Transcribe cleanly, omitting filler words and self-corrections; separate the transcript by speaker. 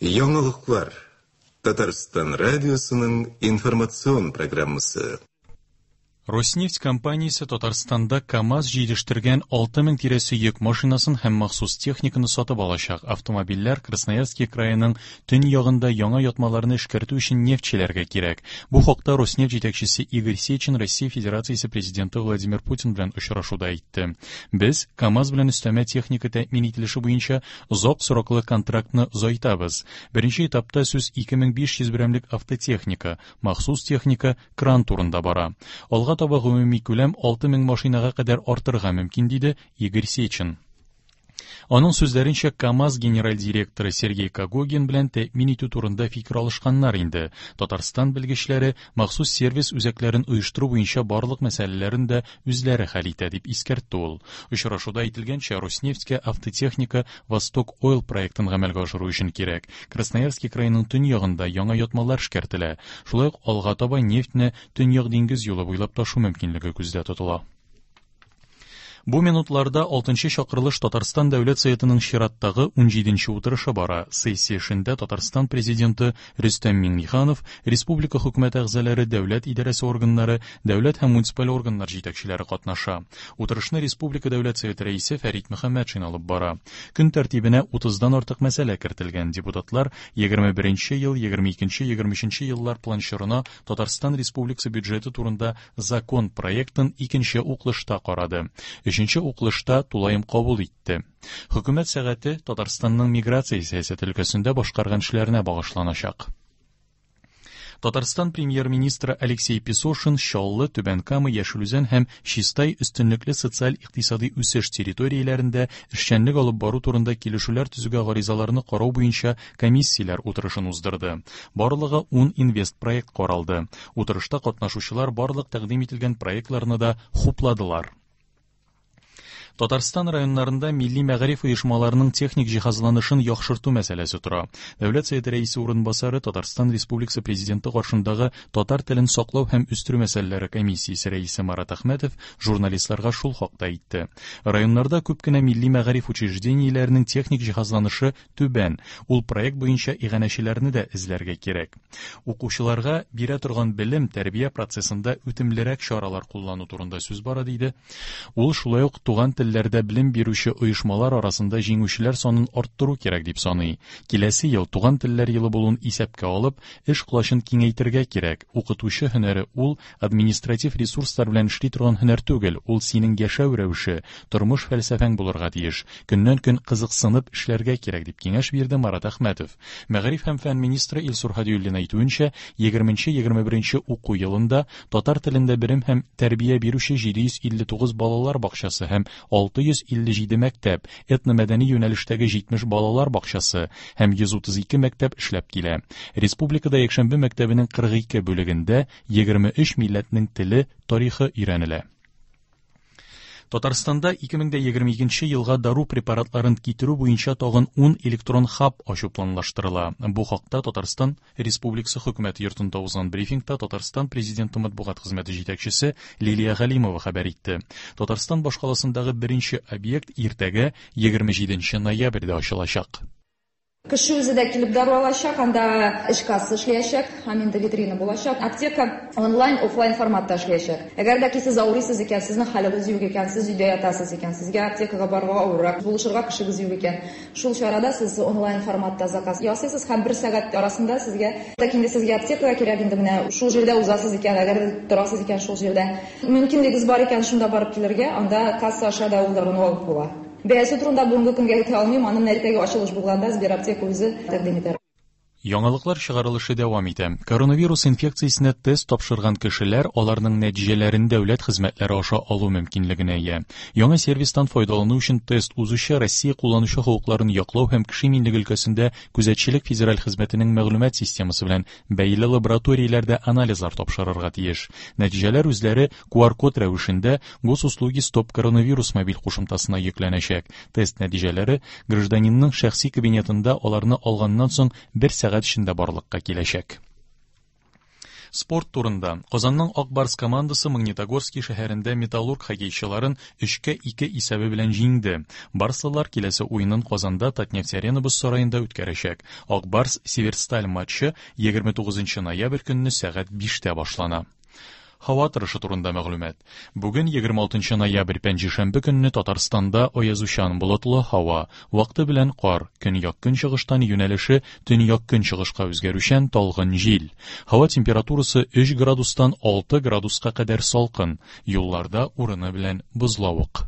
Speaker 1: Яңалыклар. Татарстан радиосының информацион программасы.
Speaker 2: Роснефть компаниясе Татарстанда КАМАЗ җитештергән 6000 тирәсе йөк машинасын һәм махсус техниканы сатып алачак. Автомобильләр Красноярский краеның төньягында яңа ятмаларны эшкәртү өчен нефтьчеләргә кирәк. Бу хакта Роснефть җитәкчесе Игорь Сечин Россия Федерациясе Президенты Владимир Путин белән очрашуда әйтте. Без КАМАЗ белән өстәмә техника тәэмин ителеше буенча озак сроклы контрактны озайтабыз. Беренче этапта сүз 2500 берәмлек автотехника, махсус техника, кран турында бара. Алга таба гомуми күләм 6000 машинага кадәр артырга мөмкин, диде Игорь Сечин. Аның сүзләренчә, КАМАЗ генераль директоры Сергей Когогин белән тәэмин итү турында фикер алышканнар инде. Татарстан белгечләре махсус сервис үзәкләрен оештыру буенча барлык мәсьәләләрен дә үзләре хәл итә, дип искәртте ул. Очрашуда әйтелгәнчә, Роснефтькә автотехника Восток Ойл проектын гамәлгә ашыру өчен кирәк. Красноярский краеның төньягында яңа ятмалар эшкәртелә. Шулай ук алга таба нефтьне Төньяк диңгез юлы буйлап ташу мөмкинлеге күздә тотыла. Бу минутларда 6 чакырылыш Татарстан Дәүләт Советының чираттагы 17 утырышы бара. Сессия эшендә Татарстан Президенты Рөстәм Миңнеханов, республика хөкүмәте әгъзалары, дәүләт идарәсе органнары, дәүләт һәм муниципаль органнар җитәкчеләре катнаша. Утырышны республика Дәүләт Советы рәисе Фәрит Мөхәммәтшин алып бара. Көн тәртибенә 30-дан артык мәсьәлә кертелгән. Депутатлар 21 ел, 22, 23 еллар план чорына Татарстан Республикасы бюджеты турында закон проектын икенче укылышта карады. Өченче укылышта тулаем кабул итте. Хөкүмәт сәгате Татарстанның миграция сәясәте өлкәсендә башкарган эшләренә багышланачак. Татарстан премьер-министры Алексей Песошин Чаллы, Түбән Кама, Яшел Үзән һәм Чистай өстенлекле социаль-икътисадый үсеш территорияләрендә эшчәнлек алып бару турында килешүләр төзүгә гаризаларны карау буенча комиссияләр утырышын уздырды. Барлыгы 10 инвестпроект каралды. Утырышта катнашучылар барлык тәкъдим ителгән проектларны да хупладылар. Татарстан районнарында милли мәгариф оешмаларының техник җиһазланышын яхшырту мәсьәләсе тора. Дәүләт Советы рәисе урынбасары Татарстан Республикасы Президенты каршындагы татар телен саклау һәм үстерү мәсьәләләре комиссиясе рәисе Марат Әхмәтов журналистларга шул хакта әйтте. Районнарда күп кенә милли мәгариф учреждениеләренең техник җиһазланышы түбән. Ул проект буенча иганәчеләрне дә эзләргә кирәк. Укучыларга бирә торган белем, тәрбия процессында үтемлерәк чаралар куллану турында сүз бара, диде. Ул шулай ук туган телләрдә белем бирүче оешмалар арасында җиңүчеләр санын арттыру кирәк дип саный. Киләсе ел туган телләр елы булуын исәпкә алып, эш колачын киңәйтергә кирәк. Укытучы һөнәре ул административ ресурслар белән эшли торган һөнәр түгел, ул синең яшәү рәвеше, тормыш фәлсәфәң булырга тиеш. Көннән-көн кызыксынып эшләргә кирәк, дип киңәш бирде Марат Әхмәтов. Мәгариф һәм фән министры Илсур Һадиуллин әйтүенчә, 20-21 уку елында татар телендә белем һәм тәрбия бирүче 759 балалар бакчасы һәм 657 мәктәп, этномәдәни юнәлештәге 70 балалар бакчасы һәм 132 мәктәп эшләп килә. Республикада якшәмбе мәктәбенең 42 бүлегендә 23 милләтнең теле, тарихы өйрәнелә. Татарстанда 2022 елга дару препаратларын китерү буенча тагын 10 электрон хаб ачу планлаштырыла. Бу хакта Татарстан Республикасы Хөкүмәте йортында узган брифингта Татарстан Президенты матбугат хезмәте җитәкчесе Лилия Галимова хәбәр итте. Татарстан башкаласындагы беренче объект иртәгә 27 ноябрьдә ачылачак.
Speaker 3: Кеше үзе дә килеп дару алачак, анда эш касса эшләячәк һәм инде витрина булачак. Аптека онлайн, офлайн форматта эшләячәк. Әгәр дә ки сез авырыйсыз икән, сезнең хәлегез юк икән, сез өйдә ятасыз икән, сезгә аптекага барырга авыррак, булышырга кешегез юк икән, шул чарада сез онлайн форматта заказ ясыйсыз һәм бер сәгать арасында сезгә, так инде сезгә аптекага кирәк инде менә шул җирдә узасыз икән, әгәр дә торасыз икән шул җирдә, мөмкинлегез бар икән шунда барып килергә, анда касса аша да ул даруны алып була. Бәясе турында бүгенге көнгә әйтә алмыйм, аны менә иртәгә ачылыш булганда Сбераптека үзе тәкъдим итәр.
Speaker 2: Яңалыклар чыгарылышы дәвам итә. Коронавирус инфекциясенә тест тапшырган кешеләр аларның нәтиҗәләрен дәүләт хезмәтләре аша алу мөмкинлегенә ия. Яңа сервистан файдалану өчен тест узучы Россия кулланучы хокукларын яклау һәм кеше иминлеге өлкәсендә күзәтчелек федераль хезмәтенең мәгълүмат системасы белән бәйле лабораторияләрдә анализлар тапшырырга тиеш. Нәтиҗәләр үзләре QR-код рәвешендә Госуслуги Стоп коронавирус мобиль кушымтасына йөкләнәчәк. Тест нәтиҗәләре гражданинның шәхси кабинетында аларны алганнан соң бер сәгать эчендә барлыкка киләчәк. Спорт турында. Казанның Ак Барс командасы Магнитогорский шәһәрендә Металлург хоккейчыларын 3-2 исәбе белән җиңде. Барслылар киләсе уенын Казанда Татнефть-Арена боз сараенда үткәрәчәк. Ак Барс Северсталь матчы 29 ноябрь көнне сәгать 5-тә башлана. Һава торышы турында мәгълүмат. Бүген 26 ноябрь пәнҗешәмбе көнне Татарстанда аязучан болытлы һава, вакыты белән кар, көньяк-көнчыгыштан юнәлеше төньяк-көнчыгышка үзгәрүчән талгын җил. Һава температурасы 3 градустан 6 градуска кадәр салкын, юлларда урыны белән бозлавык.